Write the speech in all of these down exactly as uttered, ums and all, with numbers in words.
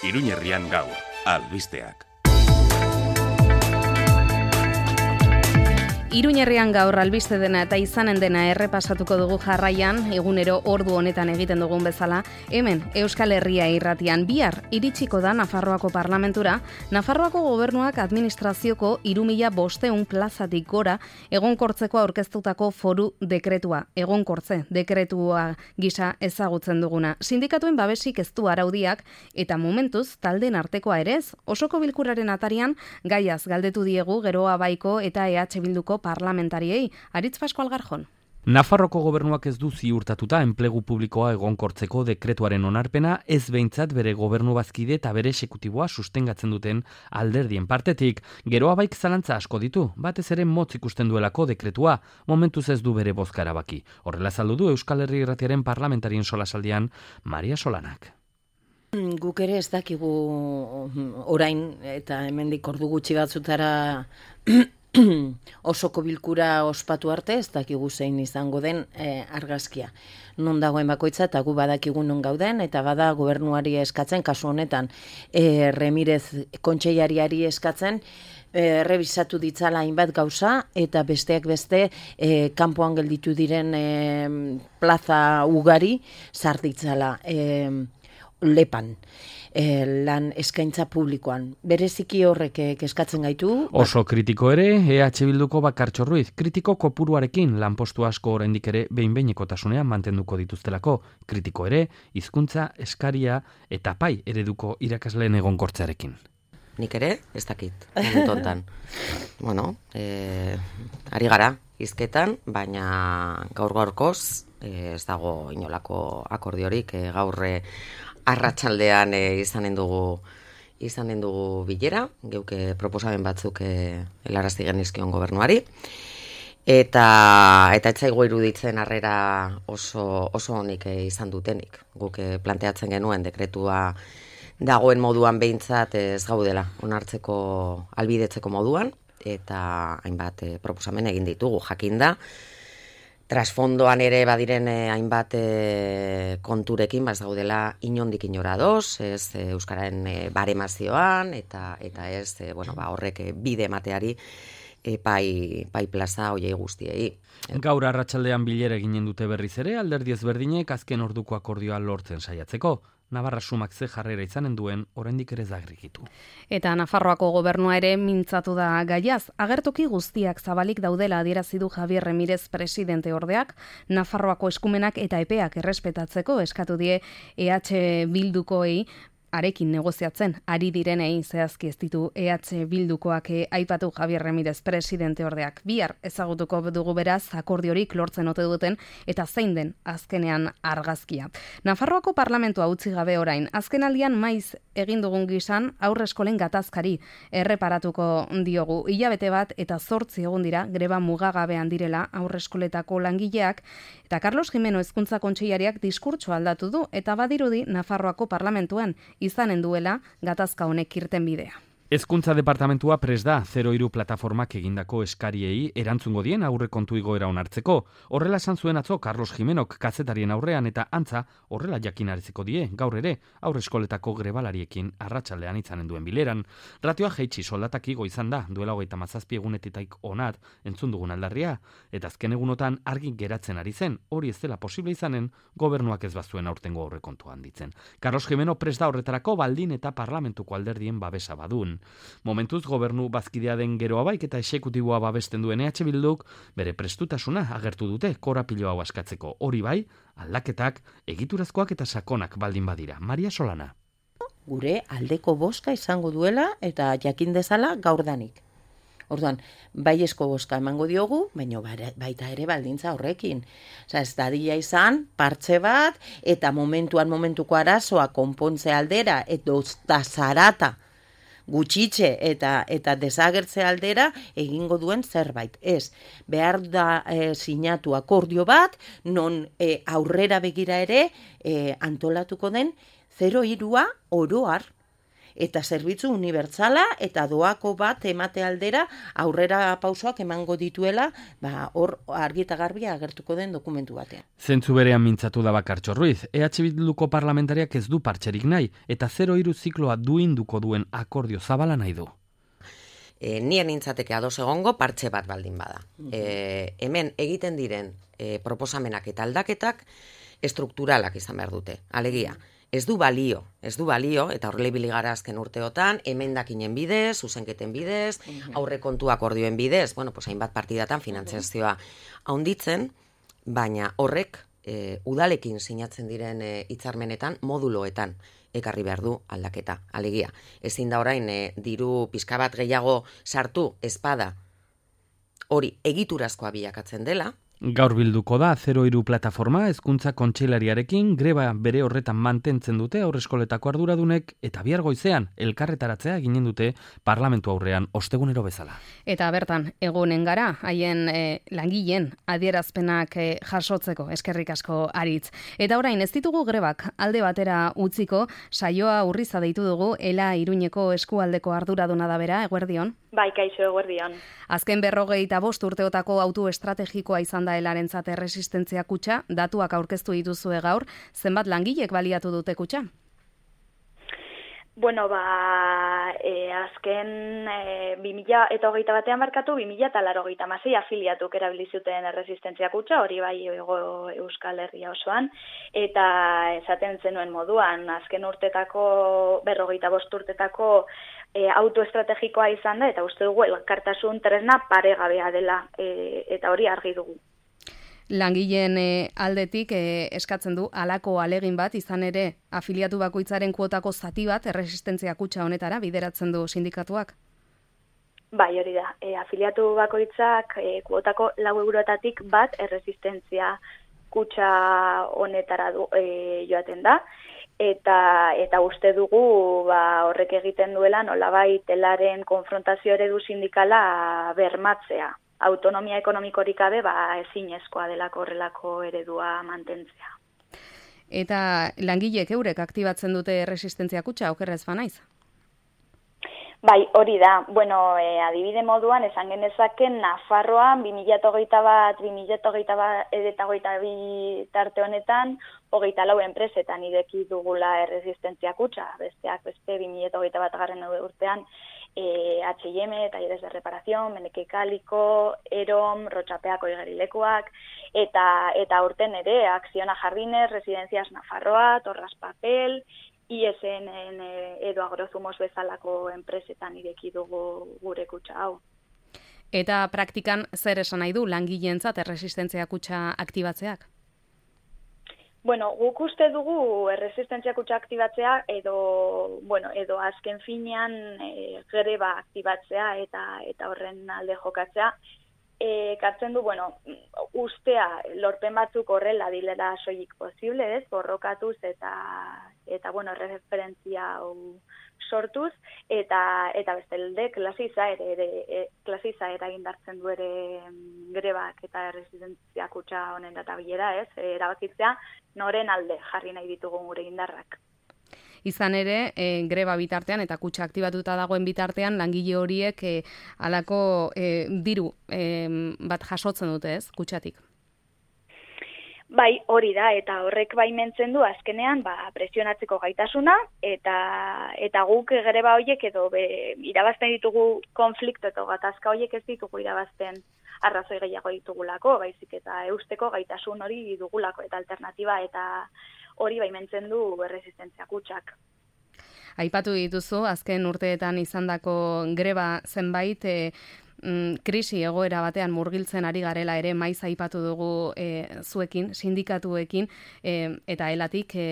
Iruñerrian gaur, albisteak. Iruñerrian gaur albiste dena eta izanen dena errepasatuko dugu jarraian, egunero ordu honetan egiten dugun bezala, hemen Euskal Herria irratian bihar iritsiko da Nafarroako parlamentura, Nafarroako gobernuak administrazioko hiru mila bostehun plazatik gora egonkortzeko aurkeztutako foru dekretua, egonkortze dekretua gisa ezagutzen duguna. Sindikatuen babesik ez du araudiak eta momentuz taldeen artekoa ere ez, osoko bilkuraren atarian gaiaz galdetu diegu Geroa Baiko eta E H Bilduko parlamentariei. Aritz Pascual Garjon. Nafarroko gobernuak ez du ziurtatuta enplegu publikoa egonkortzeko dekretuaren onarpena, ez behintzat bere gobernu bazkide eta bere exekutiboa sustengatzen duten alderdien partetik. Geroa Baik zalantza asko ditu, batez ere motz ikusten duelako dekretua, momentuz ez du bere bozka erabaki. Horrela azaldu du Euskal Herria irratiaren parlamentarien solasaldian Maria Solanak. Guk ere ez dakigu orain eta hemendik ordu gutxi batzutara osoko bilkura ospatu arte, ez dakigu zein izango den e, argazkia. Non dagoen bakoitza eta gu badakigu non gauden, eta bada gobernuari eskatzen, kasu honetan e, Remirez kontseilariari eskatzen, e, revisatu ditzala hainbat gauza, eta besteak beste e, kanpoan gelditu diren e, plaza ugari sar ditzala e, lepan. E, lan eskaintza publikoan. Bereziki horrek eskatzen gaitu. Oso kritiko ere, E H Bilduko Bakartxo Ruiz, kritiko kopuruarekin lanpostu asko oraindik ere behin-behinekotasunean mantenduko dituztelako. Kritiko ere, hizkuntza eskaria eta pai ereduko irakasleen egonkortzearekin. Nik ere, ez dakit, momentontan. bueno, e, ari gara, hizketan, baina gaur-gaurkoz e, ez dago inolako akordiorik, e, gaurre arratsaldean e, izanen dugu izanen dugu bilera, geuke proposamen batzuk e, helarazti genizkion gobernuari, eta eta etzaigu iruditzen harrera oso oso onik e, izan dutenik. Guk e, planteatzen genuen dekretua dagoen moduan behintzat ez gaudela onartzeko albidetzeko moduan, eta hainbat e, proposamen egin ditugu, jakinda. Trasfondoan ere badiren eh, hainbat eh, konturekin, baz gaudela inondik inora doz, ez eh, euskararen eh, baremazioan, eta eta ez eh, bueno, ba, horrek eh, bide emateari eh, pai, pai plaza hoiei guztiei. Gaur arratsaldean bilera eginen dute berriz ere, alderdi ezberdinek azken orduko akordioa lortzen saiatzeko. Navarra sumak ze jarrera izanen duen, oraindik ere zagrikitu. Eta Nafarroako gobernua ere mintzatu da gaiaz. Agertoki guztiak zabalik daudela adierazi du Javier Remirez presidente ordeak, Nafarroako eskumenak eta epeak errespetatzeko eskatu die E H Bildukoei arekin negoziatzen ari direnei, zehazki ez ditu E H Bildukoak aipatu Javier Remirez presidente ordeak. Bihar ezagutuko dugu beraz akordiorik lortzen ote duten eta zein den azkenean argazkia. Nafarroako parlamentua utzi gabe orain, azkenaldian maiz egin dugun gisan aurreskolen gatazkari erreparatuko diogu. Hilabete bat eta zortzi egun dira greba mugagabean direla aurreskoletako langileak, eta Carlos Jimeno hezkuntza kontseilariak diskurtsoa aldatu du eta badirudi Nafarroako parlamentuan izanen duela gatazka honek irten bidea. Hezkuntza departamentua prest da zero hiru plataformak egindako eskariei erantzungo dien aurrekontu igoera onartzeko. Horrela esan zuen atzo Carlos Jimenok kazetarien aurrean eta antza horrela jakinaraziko die gaur ere aurreskoletako grebalariekin arratsaldean izanen duen bileran. Ratioa jaitsi soldatak igo izan da duela hogeita hamazazpi egunetatik onat entzun dugun aldarria, eta azken egunotan argi geratzen ari zen hori ez dela posible izanen gobernuak ez bazuen aurtengo aurrekontua handitzen. Carlos Jimeno prest da horretarako baldin eta parlamentuko alderdien babesa badun. Momentuz gobernu bazkidea den Geroa Baik eta exekutiboa babesten duen E H Bilduk bere prestutasuna agertu dute korapilo hau askatzeko. Hori bai, aldaketak egiturazkoak eta sakonak baldin badira. Maria Solana. Gure aldeko bozka izango duela eta jakin dezala gaurdanik. Orduan, baiezko bozka emango diogu, baina baita ere baldintza horrekin. Osa, ez dadila izan, partxe bat, eta momentuan momentuko arazoa konpontze aldera, eta zarata gutxitxe eta eta desagertze aldera egingo duen zerbait. Ez, behar da e, sinatu akordio bat, non e, aurrera begira ere e, antolatuko den zero hirua oroar. eta zerbitzu unibertsala eta doako bat emate aldera aurrera pausoak emango dituela, ba, hor argi eta garbia agertuko den dokumentu batean. Zentzu berean mintzatu da Bakartxo Ruiz, E H Bilduko parlamentariak ez du partxerik nahi, eta zero hiru zikloa duinduko duen akordio zabala nahi du. E, nien nintzateke ados egongo partxe bat baldin bada. E, hemen egiten diren e, proposamenak eta aldaketak estrukturalak izan behar dute. Alegia, ez du balio, ez du balio, eta horrela ibili gara azken urteotan, emendakinen bidez, zuzenketen bidez, aurrekontuak ordioen bidez, bueno, pues hainbat partidatan finantzazioa haunditzen, baina horrek e, udalekin sinatzen diren e, hitzarmenetan moduloetan ekarri behar du aldaketa. Alegia, ezin da orain e, diru pizka bat gehiago sartu espada hori egiturazkoa bilakatzen dela. Gaur bilduko da zero hiru plataforma hezkuntza kontseilariarekin greba bere horretan mantentzen dute aurreskoletako arduradunek eta bihar goizean elkarretaratzea eginen dute parlamentu aurrean ostegunero bezala. Eta bertan egonen gara haien e, langileen adierazpenak e, jasotzeko eskerrik asko Aritz. Eta orain ez ditugu grebak alde batera utziko, saioa Urriza deitu dugu Ela Iruñeko eskualdeko arduraduna da bera, eguerdion. Bai, kaixo, eguerdion. Azken berrogeita bost urteotako auto estrategikoa izan da Elarentzat erresistentzia kutxa, datuak aurkeztu dituzue gaur, zenbat langilek baliatu dute kutxa? Bueno, ba, e, azken e, bi mila hogeita batean markatu, bi mila laurogeita hamasei afiliatuk erabili zuten erresistentzia kutxa, hori bai ego Euskal Herria osoan, eta esaten zenuen moduan, azken urtetako, berrogeita bost urtetako e, autoestrategikoa izan da, eta uste dugu elkartasun tresna paregabea dela, e, eta hori argi dugu. Langileen e, aldetik e, eskatzen du halako alegin bat, izan ere afiliatu bakoitzaren kuotako zati bat erresistentzia kutxa honetara bideratzen du sindikatuak? Bai, hori da. E, afiliatu bakoitzak e, kuotako lau eurotatik bat erresistentzia kutxa honetara du, e, joaten da. Eta, eta uste dugu ba, horrek egiten duela nolabait Elaren konfrontazio eredu sindikala bermatzea. Autonomia ekonomikorik gabe ba ezinezkoa delako horrelako eredua mantentzea. Eta langileek eurek aktibatzen dute erresistentzia kutxa, okerrez banaiz? Bai, hori da. Bueno, e, adibide moduan esan genezaken Nafarroan bi mila hogeita bat, bi mila hogeita bat eta hogeita bi tarte honetan hogeita lau enpresetan ireki dugula erresistentzia kutxa. Besteak beste bi mila hogeita bat garren urtean E, H and M, Talleres de Reparación, Meneke Kaliko, Erom, Rotxapeako igerilekoak, eta eta urten ere, Acciona Jardines, Residencias Nafarroa, Torras Papel, I S N edo Agrozumos bezalako enpresetan ireki dugu gure kutxa hau. Eta praktikan zer esan nahi du langileentzat erresistentzia kutxa aktibatzeak? Bueno, guk uste dugu erresistentzia kutxa aktibatzea edo, bueno, edo azken finean e, greba aktibatzea eta eta horren alde jokatzea. E, kartzen du, bueno, ustea lorpen batzuk horrela dilera soilik posible, ez, borrokatuz eta, eta bueno, referentzia hau sortuz, eta eta bestalde klasiza ere, ere e, klasiza eragindartzen du ere grebak eta erresistentzia kutxa honen databilera, ez, erabakitzea noren alde jarri nahi ditugun gure indarrak. Izan ere, e, greba bitartean eta kutxa aktibatuta dagoen bitartean langile horiek e, alako e, diru e, bat jasotzen dute, ez, kutxatik? Bai, hori da, eta horrek baimentzen du azkenean ba, presionatzeko gaitasuna, eta eta guk greba horiek edo be, irabazten ditugu konflikto eta gatazka horiek ez ditugu irabazten arrazoi gehiago ditugulako, baizik eta eusteko gaitasun hori dugulako eta alternatiba eta hori baimentzen du erresistentzia kutxak. Aipatu dituzu, azken urteetan izandako greba zenbait, e, mm, krisi egoera batean murgiltzen ari garela ere maiz aipatu dugu e, zuekin, sindikatuekin, e, eta Elatik e,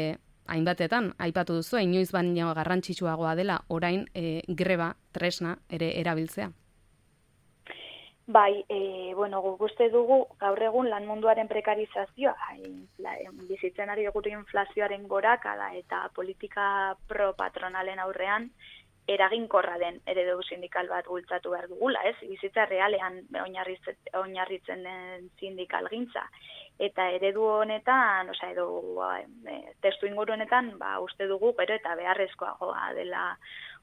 hainbatetan aipatu duzu, inoiz baino garrantzitsuagoa dela orain e, greba tresna ere erabiltzea. Bai, e, bueno, guk uste dugu gaur egun lan munduaren prekarizazioa, infla, bizitzen ari dugu inflazioaren gorakada eta politika pro-patronalen aurrean eraginkorra den eredu sindikal bat bultzatu behar dugula, ez? Bizitza realean oinarritzen den sindikalgintza. Eta eredu honetan, osea, edo e, testu inguru honetan, ba, uste dugu gero eta beharrezkoagoa dela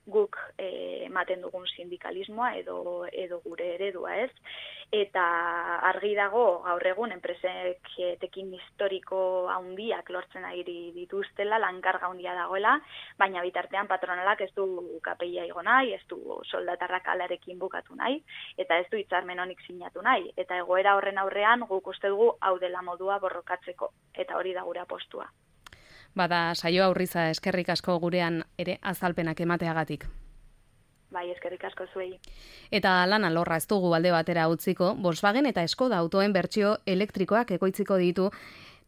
guk e, ematen dugun sindikalismoa edo edo gure eredua, ez? Eta argi dago gaur egun enpresek etekin historiko handiak lortzen ari dituztela, lankarga handia dagoela, baina bitartean patronalak ez du kapeia igo nahi, ez du soldatarrak alarekin bukatu nahi, eta ez du hitzarmen honik sinatu nahi. Eta egoera horren aurrean guk uste dugu hau dela modua borrokatzeko, eta hori da gure apostua. Bada, saio aurriza eskerrik asko gurean ere azalpenak emateagatik. Bai, eskerrik asko zuei. Eta lan alorra ez dugu alde batera utziko, Volkswagen eta Skoda autoen bertsio elektrikoak ekoitziko ditu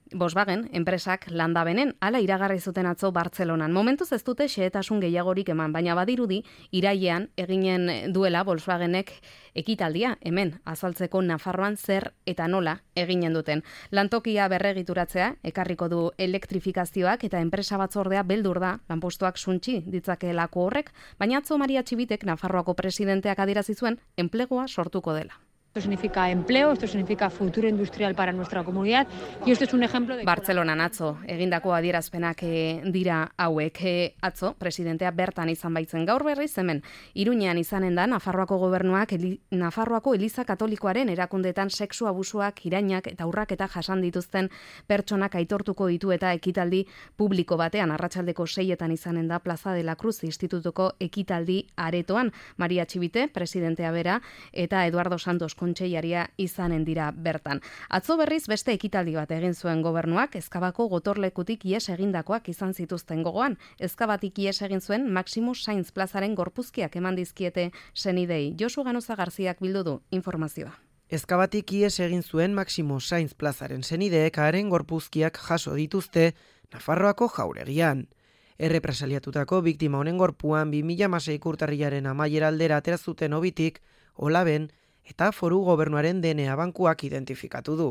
Volkswagen enpresak landabenen, hala iragarri zuten atzo Bartzelonan. Momentuz ez dute xehetasun gehiagorik eman, baina badirudi irailean eginen duela Volkswagenek ekitaldia hemen azaltzeko Nafarroan zer eta nola eginen duten. Lantokia berregituratzea ekarriko du elektrifikazioak eta enpresa batzordea beldur da lanpostuak suntsi ditzakeelako horrek, baina atzo Maria Txibitek Nafarroako presidenteak adierazi zuen enplegua sortuko dela. Esto significa empleo, esto significa futuro industrial para nuestra comunidad y esto es un ejemplo de... Bartzelonan atzo, egindako adierazpenak e, dira hauek. E, atzo, presidentea bertan izan baitzen gaur berriz hemen. Iruñean izanen da, Nafarroako gobernuak eli, Nafarroako Eliza Katolikoaren erakundetan sexu abusuak, irainak eta urraketa jasan dituzten pertsonak aitortuko ditu eta ekitaldi publiko batean arratsaldeko seietan izanen da Plaza de la Cruz Institutuko ekitaldi aretoan. Maria Txibite, presidentea bera, eta Eduardo Santos kontseilaria izanen dira bertan. Atzo berriz beste ekitaldi bat egin zuen gobernuak, Ezkabako gotorlekutik ies egindakoak izan zituzten gogoan. Ezkabatik ies egin zuen Maximo Sainz plazaren gorpuzkiak eman dizkiete senidei. Josu Ganoza Garziak bildu du informazioa. Ezkabatik ies egin zuen Maximo Sainz plazaren senideek haren gorpuzkiak jaso dituzte Nafarroako jauregian. Errepresaliatutako biktima honen gorpuan bi mila hamaseiko urtarrilaren amaiera aldera atera zuten obitik, Olaben, eta foru gobernuaren D N A bankuak identifikatu du.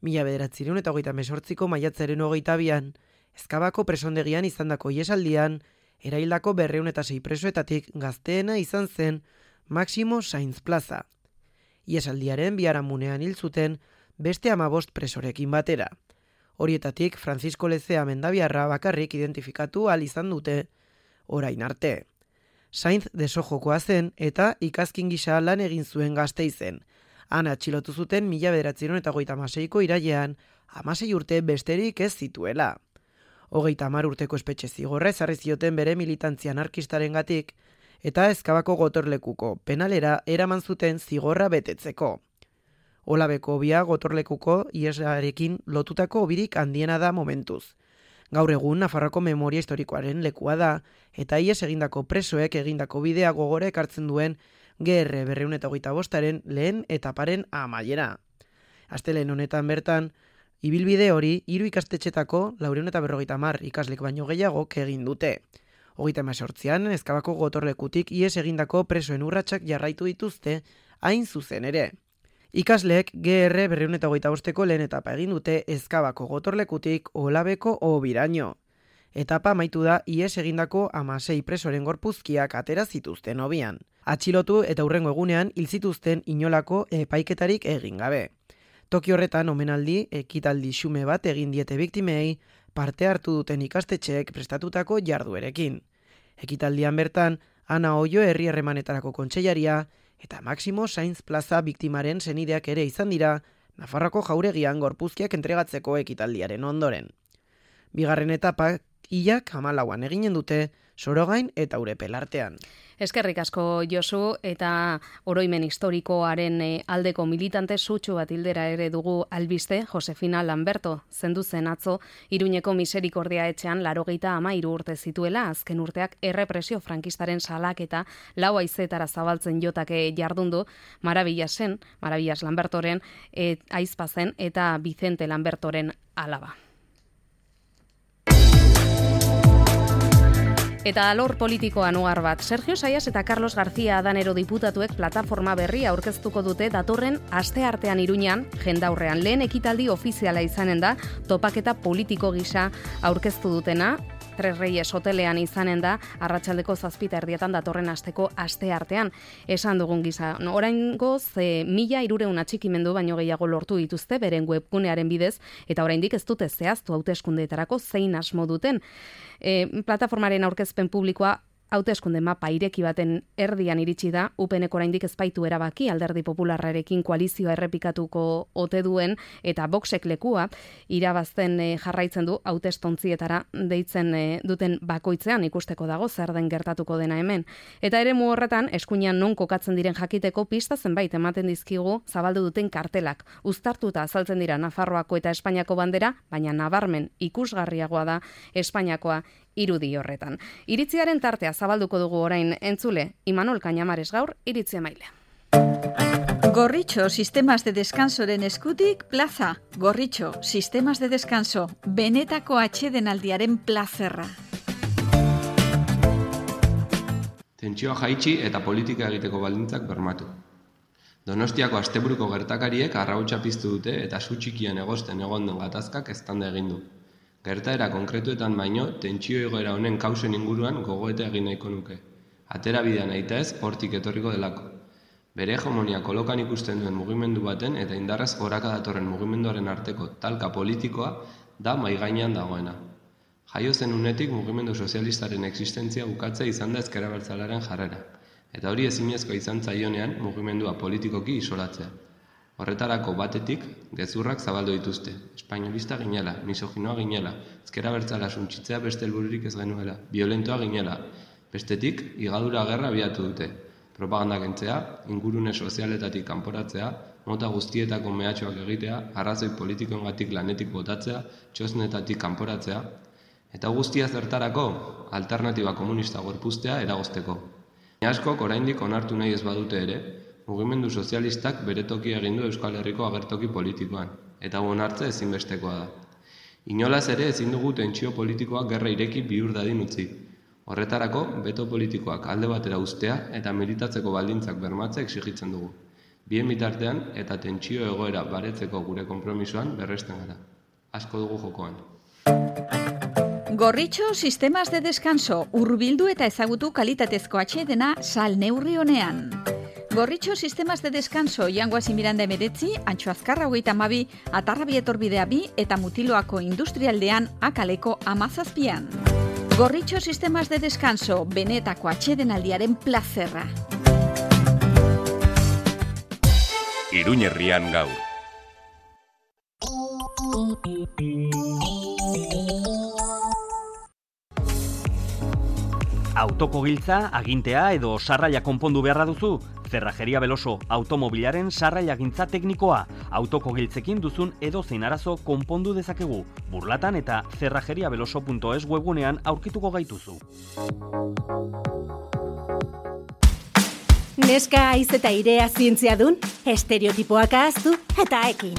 Mila bederatziehun eta hogeita hemezortziko maiatzaren hogeita bian, Ezkabako presondegian izandako iesaldian, eraildako berrehun eta sei presoetatik gazteena izan zen Maximo Sainz plaza. Iesaldiaren biharamunean hil zuten beste hamabost presorekin batera. Horietatik Francisco Lezea mendabiarra bakarrik identifikatu ahal izan dute orain arte. Sainz desojokoa zen eta ikazkin gisa lan egin zuen Gasteizen. Han atxilotu zuten mila bederatziehun eta hogeita hamaseiko irailean, hamasei urte besterik ez zituela. Hogeita hamar urteko espetxe zigorra ezarri zioten bere militantzia anarkistarengatik eta Ezkabako gotorlekuko penalera eraman zuten zigorra betetzeko. Olabeko obia gotorlekuko iesarekin lotutako obirik handiena da momentuz. Gaur egun Nafarroako memoria historikoaren lekua da, eta ies egindako presoek egindako bidea gogora ekartzen duen G R berrehun eta hogeita bostaren lehen etaparen amaiera. Astelehen honetan bertan, ibilbide hori hiru ikastetxetako laurehun eta berrogeita hamar ikaslek baino gehiagok egin dute. Hogeita hemezortzian Ezkabako gotorlekutik ies egindako presoen urratsak jarraitu dituzte hain zuzen ere. Ikasleek G R berrehun eta hogeita bosteko lehen etapa egin dute Ezkabako gotorlekutik Olabeko obiraino. Etapa amaitu da ies egindako hamasei presoren gorpuzkiak atera zituzten hobian. Atxilotu eta hurrengo egunean hil zituzten inolako epaiketarik egin gabe. Toki horretan omenaldi ekitaldi xume bat egin diete biktimei parte hartu duten ikastetxeek prestatutako jarduerekin. Ekitaldian bertan, Ana Oio herri harremanetarako kontseilaria eta Maximo Sainz plaza biktimaren senideak ere izan dira Nafarroako jauregian gorpuzkiak entregatzeko ekitaldiaren ondoren. Bigarren etapak hilak hamalauan eginen dute Sorogain eta Urepel artean. Eskerrik asko Josu, eta oroimen historikoaren aldeko militante sutsu bat hildera ere dugu albiste. Josefina Lamberto zendu zen atzo Iruñeko Miserikordia etxean laurogeita hamairu urte zituela, azken urteak errepresio frankistaren salaketa lau haizetara zabaltzen jotake jardundu. Marabillasen, Marabillas Lambertoren et, aizpa zen eta Vicente Lambertoren alaba. Eta alor politikoan ugar bat, Sergio Saias eta Carlos García Adanero diputatuek plataforma berria aurkeztuko dute datorren asteartean Iruñan, jendaurrean lehen ekitaldi ofiziala izanen da, topaketa politiko gisa aurkeztu dutena, Tres Reyes hotelean izanen da, arratsaldeko zazpita erdietan datorren asteko aste artean. Esan dugun gisa, no, oraingoz e, mila hirureun atxikimendu baino gehiago lortu dituzte beren webgunearen bidez, eta oraindik ez dute zehaztu hauteskundeetarako zein asmo duten. E, plataformaren aurkezpen publikoa hauteskunde mapa ireki baten erdian iritsi da, U P Nek oraindik ez baitu erabaki Alderdi Popularrarekin koalizioa errepikatuko ote duen eta Voxek lekua irabazten e, jarraitzen du hautestontzietara deitzen e, duten bakoitzean ikusteko dago zer den gertatuko dena hemen. Eta eremu horretan eskuinean non kokatzen diren jakiteko pista zenbait ematen dizkigu zabaldu duten kartelak. Uztartuta azaltzen dira Nafarroako eta Espainiako bandera, baina nabarmen ikusgarriagoa da Espainiakoa irudi horretan. Iritziaren tartea zabalduko dugu orain entzule, Imanol Cañamares gaur iritzi emailea. Gorritxo Sistemas de Descansoren eskutik plaza. Gorritxo Sistemas de Descanso, benetako atsedenaldiaren plazerra. Tentsioa jaitsi eta politika egiteko baldintzak bermatu. Donostiako asteburuko gertakariek arrautsa piztu dute eta su txikian egosten egon den gatazkak eztanda egin du. Gertaera konkretuetan baino, tentsio egoera honen kausen inguruan gogoeta egin nahiko nuke. Atera bidean aita ez, hortik etorriko delako. Bere hegemonia kolokan ikusten duen mugimendu baten eta indarrez goraka datorren mugimenduaren arteko talka politikoa da maigainean dagoena. Jaio zen unetik mugimendu sozialistaren existentzia bukatzea izan da ezker abertzalearen jarrera, eta hori ezinezkoa izan zaionean mugimendua politikoki isolatzea. Horretarako batetik, gezurrak zabaldu dituzte. Espainolista ginela, misoginoa ginela, ezker abertzala suntsitzea beste helbururik ez genuela, violentoa ginela. Bestetik, higadura gerra abiatu dute. Propaganda kentzea, ingurune sozialetatik kanporatzea, mota guztietako mehatxoak egitea, arrazoi politikoengatik lanetik botatzea, txosnetatik kanporatzea, eta guztia zertarako alternatiba komunista gorpuztea eragozteko. Askok oraindik onartu nahi ez badute ere, mugimendu sozialistak bere tokia egin du Euskal Herriko agertoki politikoan, eta onartze ezinbestekoa da. Inolaz ere ezin dugu tentsio politikoak gerra ireki bihur dadin utzi. Horretarako, beto politikoak alde batera uztea eta militatzeko baldintzak bermatzea exigitzen dugu. Bien bitartean eta tentsio egoera baretzeko gure konpromisoan berresten gara. Asko dugu jokoan. Gorritxo Sistemas de Descanso, hurbildu eta ezagutu kalitatezko atsedena sal neurri honean. Gorritxo Sistemas de Descanso, Jangoasi Miranda emeretzi, Antxo Azkarra hogeita hamabi, Atarrabi etorbidea bi eta Mutiloako industrialdean akaleko amazazpian. Gorritxo Sistemas de Descanso, benetako atsedenaldiaren plazerra. Iruñerrian gaur. Autoko giltza, agintea edo sarraila konpondu beharra duzu? Cerrajeria Beloso, automobilaren sarraila gintza teknikoa. Autoko giltzekin duzun edo zein arazo konpondu dezakegu. Burlatan eta cerrajeriabeloso punto es webgunean aurkituko gaituzu. Neska aiz eta irea zientzia dun, estereotipoak ahaztu eta ekin.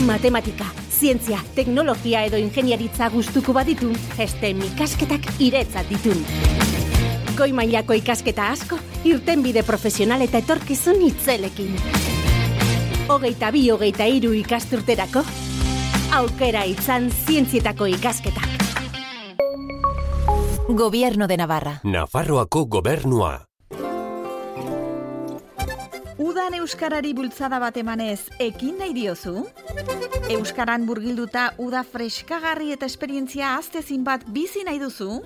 Matematika, zientzia, teknologia edo ingeniaritza gustuko baditu, STEM ikasketak iretzat ditun. Goi mailako ikasketa asko, irtenbide profesional eta etorkizun itzelekin. Hogeita bi, hogeita hiru ikasturterako, aukera itzan zientzietako ikasketak. Gobierno de Navarra. Nafarroako gobernua. Udan euskarari bultzada bat emanez, ekin nahi diozu? Euskaran burgilduta uda freskagarri eta esperientzia aztezin bat bizi nahi duzu?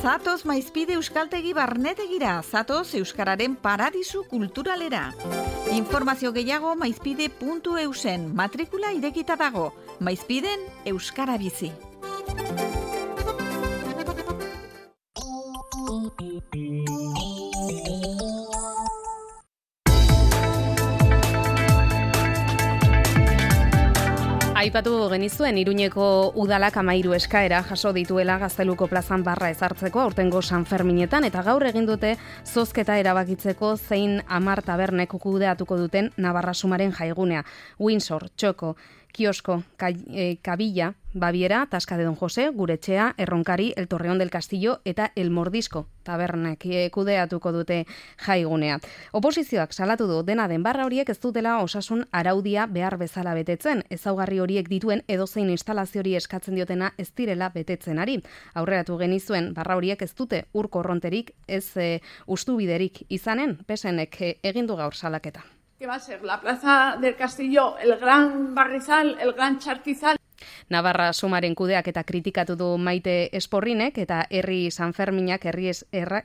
Zatoz Maizpide Euskaltegi Barnetegira, zatoz Euskararen paradisu kulturalera. Informazio gehiago maizpide puntu eusen, matrikula irekita dago, Maizpiden Euskara bizi. Aipatu genizuen Iruñeko udalak hamairu eskaera jaso dituela Gazteluko plazan barra ezartzeko aurtengo San Ferminetan eta gaur egin dute zozketa erabakitzeko zein hamar tabernek kudeatuko duten Navarra Sumaren jaigunea. Windsor, Txoko, Kiosko, Kabila, Baviera, Tasca de Don Jose, Guretxea, Erronkari, El Torreón del Castillo eta El Mordisco tabernek kudeatuko dute jaigunea. Oposizioak salatu du dena den barra horiek ez dutela osasun araudia behar bezala betetzen, ezaugarri horiek dituen edozein instalaziori eskatzen diotena ez direla betetzen ari. Aurreratu genizuen barra horiek ez dute ur korronterik, ez e, ustubiderik izanen, pesenek e, egin du gaur salaketa. Que va a ser la Plaza del Castillo, el Gran Barrizal, el Gran Charquizal. Navarra Sumaren kudeak eta kritikatu du Maite Esporrinek eta herri Sanferminak herri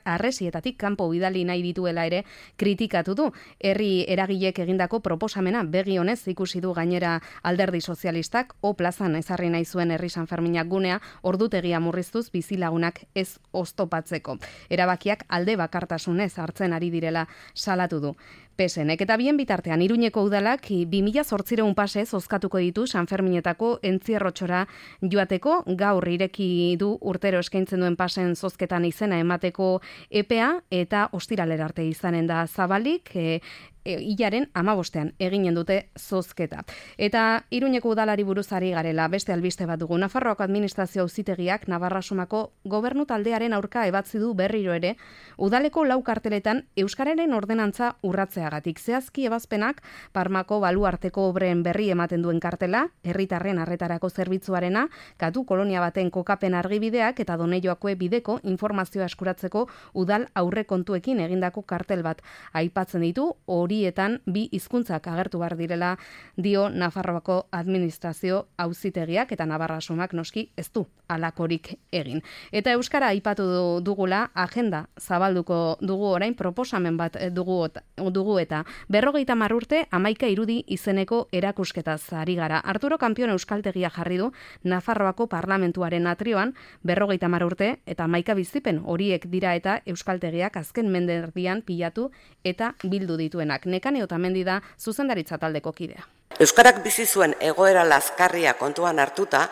arresietatik kanpo bidali nahi dituela ere kritikatu du. Herri eragilek egindako proposamena begi honez ikusi du gainera Alderdi Sozialistak o plazan ezarri nahi zuen herri Sanferminak gunea ordutegia murriztuz bizilagunak ez oztopatzeko. Erabakiak alde bakartasunez hartzen ari direla salatu du. Pesenek eta bien bitartean Iruñeko udalak bi mila zortziehun pase zozkatuko ditu Sanferminetako entzierrotxora joateko, gaur ireki du urtero eskaintzen duen pasen zozketan izena emateko epea eta ostiralera arte izanen da zabalik, e, E, hilaren amabostean eginen dute zozketa. Eta Iruñeko udalari buruzari garela, beste albiste bat dugu. Nafarroako administrazio auzitegiak Navarra Sumako gobernu taldearen aurka ebatzi du berriro ere, udaleko lau karteletan euskararen ordenantza urratzeagatik. Zehazki ebazpenak Parmako baluarteko obren berri ematen duen kartela, herritarren arretarako zerbitzuarena, katu kolonia baten kokapen argibideak eta Donejoakue bideko informazioa eskuratzeko udal aurrekontuekin egindako kartel bat aipatzen ditu, horietan bi hizkuntzak agertu behar direla dio Nafarroako administrazio auzitegiak eta Navarra Sumak noski ez du alakorik egin. Eta euskara aipatu dugula agenda zabalduko dugu orain proposamen bat dugu, dugu eta berrogeita hamar urte hamaika irudi izeneko erakusketaz ari gara. Arturo Kampion euskaltegia jarri du Nafarroako parlamentuaren atrioan berrogeita hamar urte eta hamaika bizipen horiek dira eta euskaltegiak azken menderdian pilatu eta bildu dituenak. Nekane Otamendi da zuzendaritza taldeko kidea. Euskarak bizi zuen egoera lazkarria kontuan hartuta,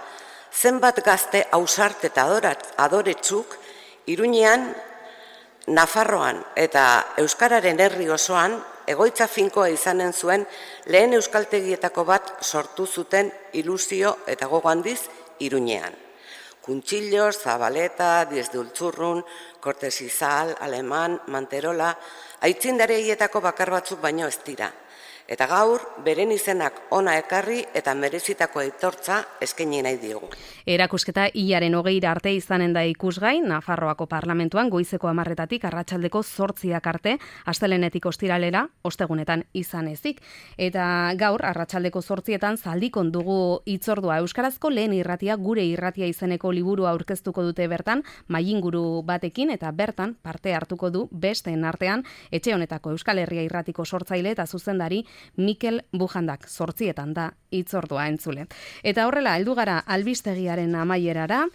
zenbat gazte ausart eta adoretsuk Iruñean, Nafarroan eta euskararen herri osoan egoitza finkoa izanen zuen lehen euskaltegietako bat sortu zuten ilusio eta gogo handiz Iruñean. Kuntxillos, Zabaleta, Diez de Ultzurrun, Cortes Izal, Aleman, Manterola, aitzindareietako bakar batzuk baino ez dira. Eta gaur, beren izenak ona ekarri eta merezitako aitortza eskaini nahi diogu. Erakusketa hilaren hogeira arte izanen da ikusgai, Nafarroako parlamentuan goizeko hamarretatik arratsaldeko zortziak arte, astelenetik ostiralera, ostegunetan izan ezik. Eta gaur, arratsaldeko zortzietan zaldikon dugu hitzordua euskarazko lehen irratia gure irratia izeneko liburua aurkeztuko dute bertan, mailinguru batekin eta bertan parte hartuko du besteen artean, etxe honetako Euskal Herria irratiko sortzaile eta zuzendari Mikel Bujandak, zortzietan da hitzordua entzule. Eta horrela, heldu gara albistegiaren amaierara,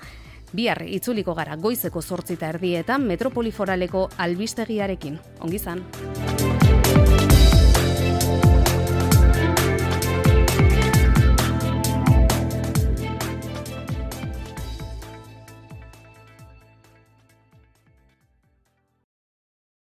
bihar itzuliko gara goizeko zortzita erdietan Metropoliforaleko albistegiarekin. Ongi izan.